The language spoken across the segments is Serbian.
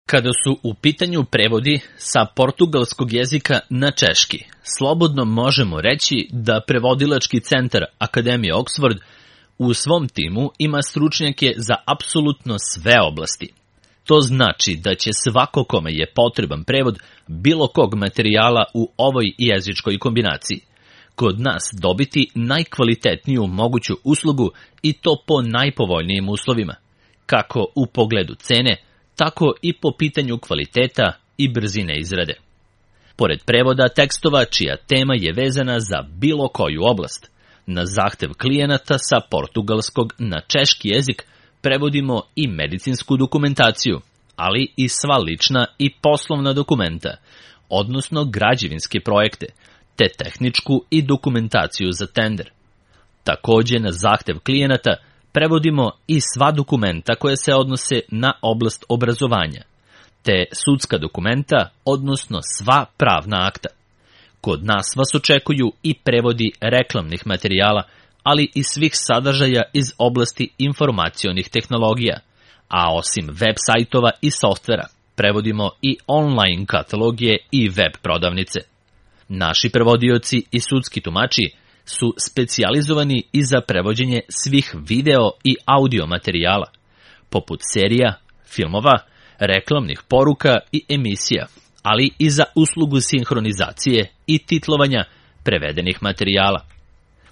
Kada su u pitanju prevodi sa portugalskog jezika na češki, slobodno možemo reći da prevodilački centar Akademije Oxford u svom timu ima stručnjake za apsolutno sve oblasti. To znači da će svako kome je potreban prevod bilo kog materijala u ovoj jezičkoj kombinaciji kod nas dobiti najkvalitetniju moguću uslugu i to po najpovoljnijim uslovima, kako u pogledu cene, tako i po pitanju kvaliteta i brzine izrade. Pored prevoda tekstova čija tema je vezana za bilo koju oblast, na zahtev klijenata sa portugalskog na češki jezik prevodimo i medicinsku dokumentaciju, ali i sva lična i poslovna dokumenta, odnosno građevinske projekte, te tehničku i dokumentaciju za tender. Takođe, na zahtev klijenata prevodimo i sva dokumenta koje se odnose na oblast obrazovanja, te sudska dokumenta, odnosno sva pravna akta. Kod nas vas očekuju i prevodi reklamnih materijala, ali i svih sadržaja iz oblasti informacionih tehnologija, a osim web sajtova i softvera, prevodimo i online katalogije i web prodavnice. Naši prevodioci i sudski tumači su specijalizovani i za prevođenje svih video i audio materijala, poput serija, filmova, reklamnih poruka i emisija, ali i za uslugu sinhronizacije i titlovanja prevedenih materijala.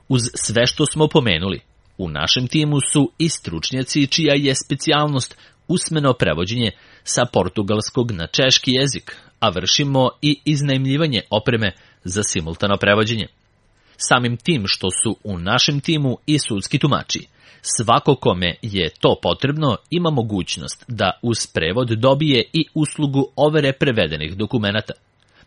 Uz sve što smo pomenuli, u našem timu su i stručnjaci čija je specijalnost usmeno prevođenje sa portugalskog na češki jezik, a vršimo i iznajmljivanje opreme za simultano prevođenje. Samim tim što su u našem timu i sudski tumači, svako kome je to potrebno ima mogućnost da uz prevod dobije i uslugu overe prevedenih dokumenata.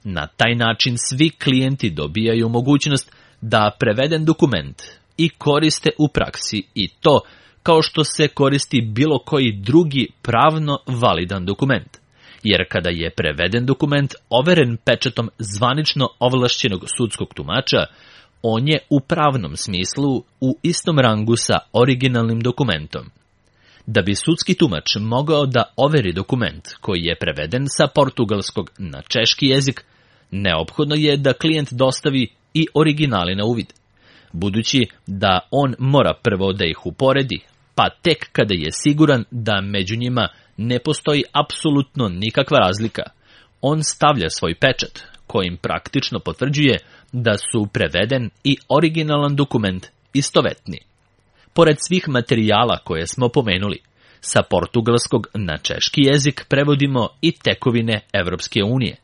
Na taj način svi klijenti dobijaju mogućnost da preveden dokument i koriste u praksi i to kao što se koristi bilo koji drugi pravno validan dokument. Jer kada je preveden dokument overen pečatom zvanično ovlašćenog sudskog tumača, on je u pravnom smislu u istom rangu sa originalnim dokumentom. Da bi sudski tumač mogao da overi dokument koji je preveden sa portugalskog na češki jezik, neophodno je da klijent dostavi i originali na uvid, budući da on mora prvo da ih uporedi, pa tek kada je siguran da među njima ne postoji apsolutno nikakva razlika, on stavlja svoj pečat, kojim praktično potvrđuje da su preveden i originalan dokument istovetni. Pored svih materijala koje smo pomenuli, sa portugalskog na češki jezik prevodimo i tekovine Evropske unije,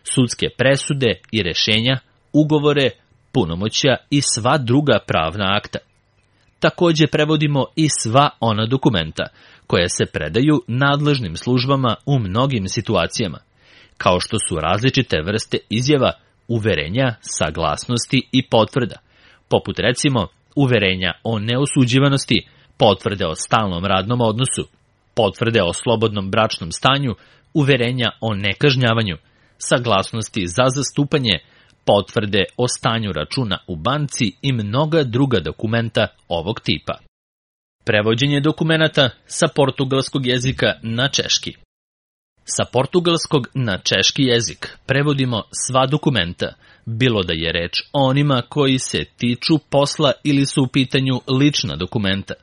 sudske presude i rešenja, ugovore, punomoćja i sva druga pravna akta. Takođe prevodimo i sva ona dokumenta koja se predaju nadležnim službama u mnogim situacijama, kao što su različite vrste izjava, uverenja, saglasnosti i potvrda, poput recimo uverenja o neosuđivanosti, potvrde o stalnom radnom odnosu, potvrde o slobodnom bračnom stanju, uverenja o nekažnjavanju, saglasnosti za zastupanje, potvrde o stanju računa u banci i mnoga druga dokumenta ovog tipa. Prevođenje dokumenata sa portugalskog jezika na češki. Sa portugalskog na češki jezik prevodimo sva dokumenta, bilo da je reč o onima koji se tiču posla ili su u pitanju lična dokumenta,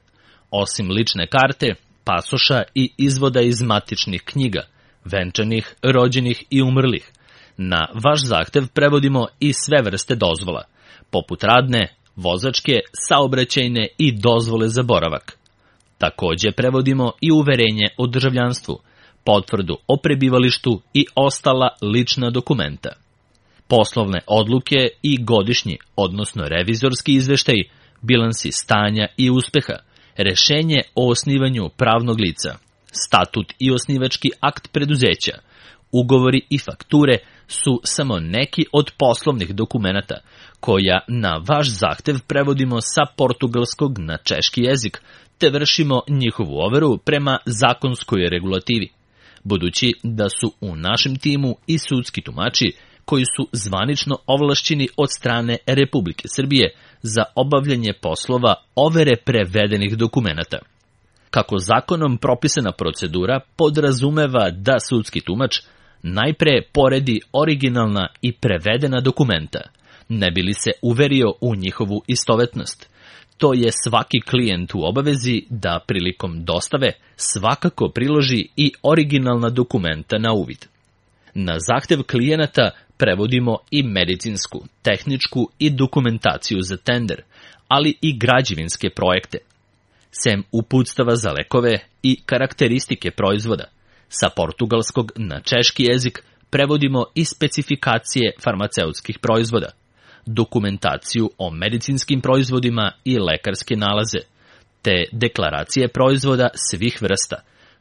osim lične karte, pasoša i izvoda iz matičnih knjiga, venčanih, rođenih i umrlih. Na vaš zahtev prevodimo i sve vrste dozvola, poput radne, vozačke, saobraćajne i dozvole za boravak. Takođe prevodimo i uverenje o državljanstvu, potvrdu o prebivalištu i ostala lična dokumenta. Poslovne odluke i godišnji, odnosno revizorski izveštaj, bilansi stanja i uspeha, rešenje o osnivanju pravnog lica, statut i osnivački akt preduzeća, ugovori i fakture su samo neki od poslovnih dokumenata koja na vaš zahtev prevodimo sa portugalskog na češki jezik, te vršimo njihovu overu prema zakonskoj regulativi, budući da su u našem timu i sudski tumači koji su zvanično ovlašćeni od strane Republike Srbije za obavljanje poslova overe prevedenih dokumenata. Kako zakonom propisana procedura podrazumeva da sudski tumač najpre poredi originalna i prevedena dokumenta, ne bi li se uverio u njihovu istovetnost. To je svaki klijent u obavezi da prilikom dostave svakako priloži i originalna dokumenta na uvid. Na zahtev klijenata prevodimo i medicinsku, tehničku i dokumentaciju za tender, ali i građevinske projekte. Sem uputstava za lekove i karakteristike proizvoda, sa portugalskog na češki jezik prevodimo i specifikacije farmaceutskih proizvoda, dokumentaciju o medicinskim proizvodima i lekarske nalaze, te deklaracije proizvoda svih vrsta,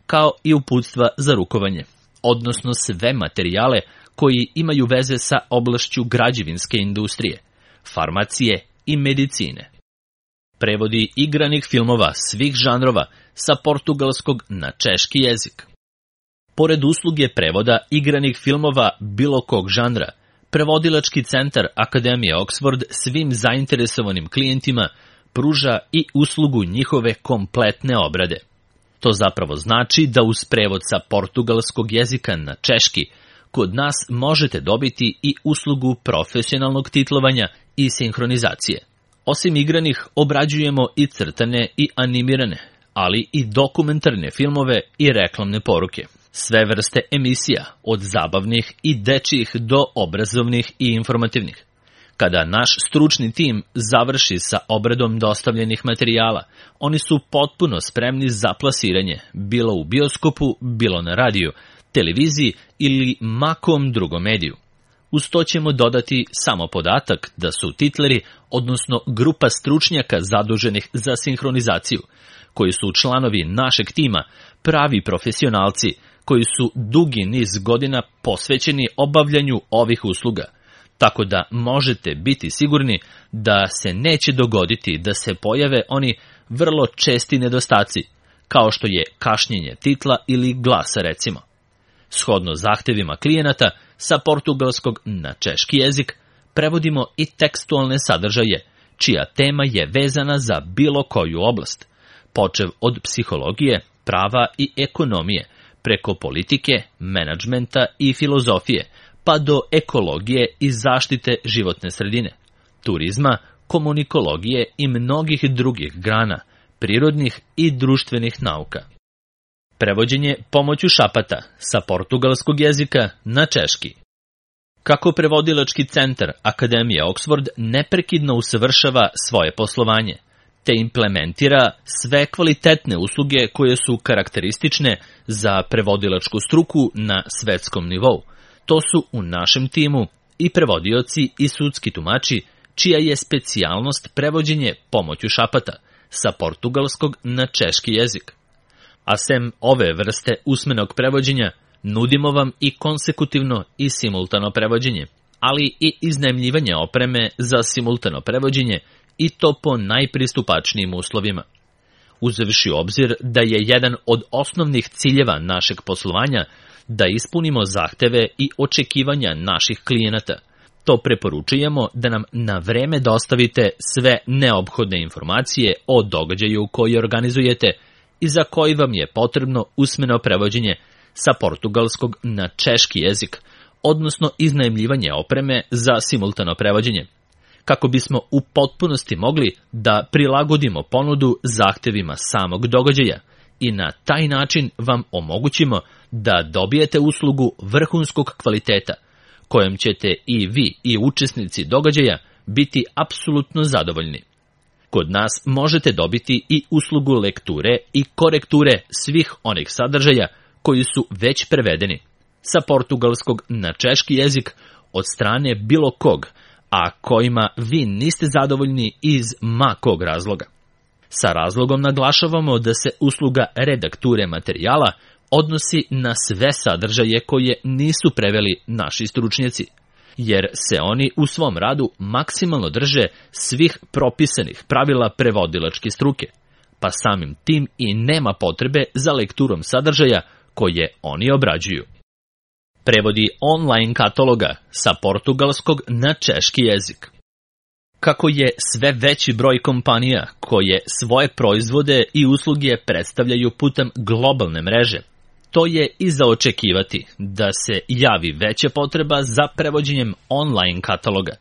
kao i uputstva za rukovanje, odnosno sve materijale koji imaju veze sa oblašću građevinske industrije, farmacije i medicine. Prevodi igranih filmova svih žanrova sa portugalskog na češki jezik. Pored usluge prevoda igranih filmova bilo kog žanra, Prevodilački centar Akademije Oxford svim zainteresovanim klijentima pruža i uslugu njihove kompletne obrade. To zapravo znači da uz prevod sa portugalskog jezika na češki kod nas možete dobiti i uslugu profesionalnog titlovanja i sinhronizacije. Osim igranih, obrađujemo i crtane i animirane, ali i dokumentarne filmove i reklamne poruke. Sve vrste emisija, od zabavnih i dečjih do obrazovnih i informativnih. Kada naš stručni tim završi sa obradom dostavljenih materijala, oni su potpuno spremni za plasiranje, bilo u bioskopu, bilo na radiju, televiziji ili makom drugom mediju. Uz to ćemo dodati samo podatak da su titleri, odnosno grupa stručnjaka zaduženih za sinhronizaciju, koji su članovi našeg tima, pravi profesionalci, koji su dugi niz godina posvećeni obavljanju ovih usluga, tako da možete biti sigurni da se neće dogoditi da se pojave oni vrlo česti nedostaci, kao što je kašnjenje titla ili glasa recimo. Shodno zahtevima klijenata, sa portugalskog na češki jezik prevodimo i tekstualne sadržaje, čija tema je vezana za bilo koju oblast, počev od psihologije, prava i ekonomije, preko politike, menadžmenta i filozofije, pa do ekologije i zaštite životne sredine, turizma, komunikologije i mnogih drugih grana, prirodnih i društvenih nauka. Prevođenje pomoću šapata sa portugalskog jezika na češki. Kako Prevodilački centar Akademije Oxford neprekidno usavršava svoje poslovanje, te implementira sve kvalitetne usluge koje su karakteristične za prevodilačku struku na svetskom nivou. To su u našem timu i prevodioci i sudski tumači, čija je specijalnost prevođenje pomoću šapata sa portugalskog na češki jezik. A sem ove vrste usmenog prevođenja, nudimo vam i konsekutivno i simultano prevođenje, ali i iznajmljivanje opreme za simultano prevođenje i to po najpristupačnijim uslovima. Uzevši u obzir da je jedan od osnovnih ciljeva našeg poslovanja da ispunimo zahteve i očekivanja naših klijenata, to preporučujemo da nam na vreme dostavite sve neophodne informacije o događaju koji organizujete i za koji vam je potrebno usmeno prevođenje sa portugalskog na češki jezik, odnosno iznajmljivanje opreme za simultano prevođenje, kako bismo u potpunosti mogli da prilagodimo ponudu zahtevima samog događaja i na taj način vam omogućimo da dobijete uslugu vrhunskog kvaliteta, kojom ćete i vi i učesnici događaja biti apsolutno zadovoljni. Kod nas možete dobiti i uslugu lekture i korekture svih onih sadržaja koji su već prevedeni sa portugalskog na češki jezik od strane bilo kog, a kojima vi niste zadovoljni iz ma kog razloga. Sa razlogom naglašavamo da se usluga redakture materijala odnosi na sve sadržaje koje nisu preveli naši stručnjaci, jer se oni u svom radu maksimalno drže svih propisanih pravila prevodilačke struke, pa samim tim i nema potrebe za lekturom sadržaja koje oni obrađuju. Prevodi online kataloga sa portugalskog na češki jezik. Kako je sve veći broj kompanija koje svoje proizvode i usluge predstavljaju putem globalne mreže, to je i za očekivati da se javi veća potreba za prevođenjem online kataloga.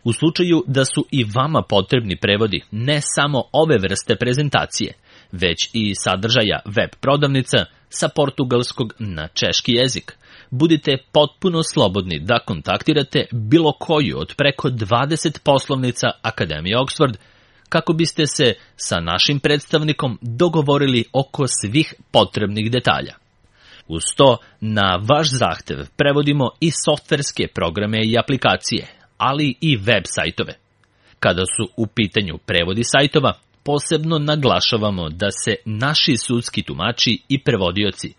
U slučaju da su i vama potrebni prevodi ne samo ove vrste prezentacije, već i sadržaja web prodavnica sa portugalskog na češki jezik, budite potpuno slobodni da kontaktirate bilo koju od preko 20 poslovnica Akademije Oxford kako biste se sa našim predstavnikom dogovorili oko svih potrebnih detalja. Uz to, na vaš zahtev prevodimo i softverske programe i aplikacije, ali i web sajtove. Kada su u pitanju prevodi sajtova, posebno naglašavamo da se naši sudski tumači i prevodioci,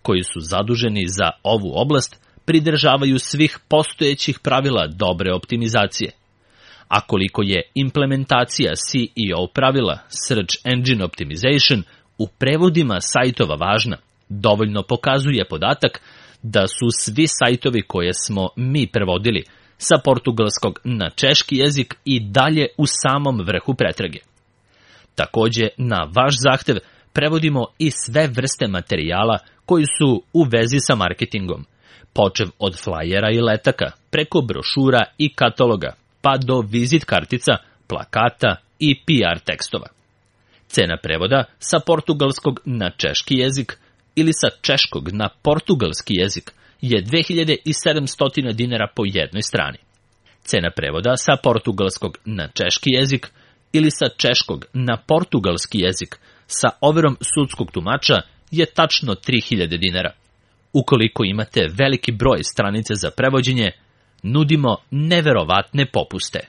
koji su zaduženi za ovu oblast, pridržavaju svih postojećih pravila dobre optimizacije. A koliko je implementacija SEO pravila Search Engine Optimization u prevodima sajtova važna, dovoljno pokazuje podatak da su svi sajtovi koje smo mi prevodili sa portugalskog na češki jezik i dalje u samom vrhu pretrage. Takođe, na vaš zahtev prevodimo i sve vrste materijala koji su u vezi sa marketingom, počev od flajera i letaka, preko brošura i kataloga, pa do vizit kartica, plakata i PR tekstova. Cena prevoda sa portugalskog na češki jezik ili sa češkog na portugalski jezik je 2700 dinara po jednoj strani. Cena prevoda sa portugalskog na češki jezik ili sa češkog na portugalski jezik sa overom sudskog tumača je tačno 3000 dinara. Ukoliko imate veliki broj stranice za prevođenje, nudimo neverovatne popuste.